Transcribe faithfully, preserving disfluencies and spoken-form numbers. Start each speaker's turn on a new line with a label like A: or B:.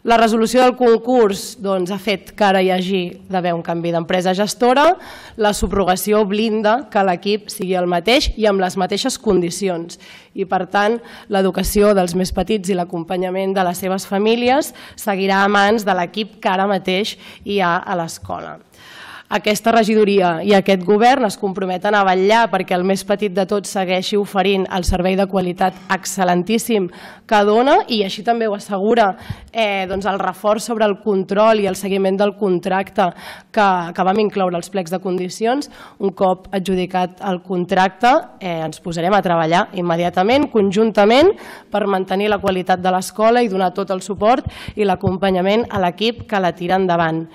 A: La resolució del concurs ha fet que ara hi hagi d'haver un canvi d'empresa gestora, la subrogació blinda que l'equip sigui el mateix i amb les mateixes condicions i per tant l'educació dels més petits i l'acompanyament de les seves famílies seguirà a mans de l'equip que ara mateix hi ha a l'escola. Aquesta regidoria i aquest govern es comprometen a vetllar perquè el més petit de tots segueixi oferint el servei de qualitat excel·lentíssim que dona i així també ho assegura el reforç sobre el control i el seguiment del contracte que vam incloure als plecs de condicions. Un cop adjudicat el contracte ens posarem a treballar immediatament, conjuntament, per mantenir la qualitat de l'escola i donar tot el suport i l'acompanyament a l'equip que la tira endavant.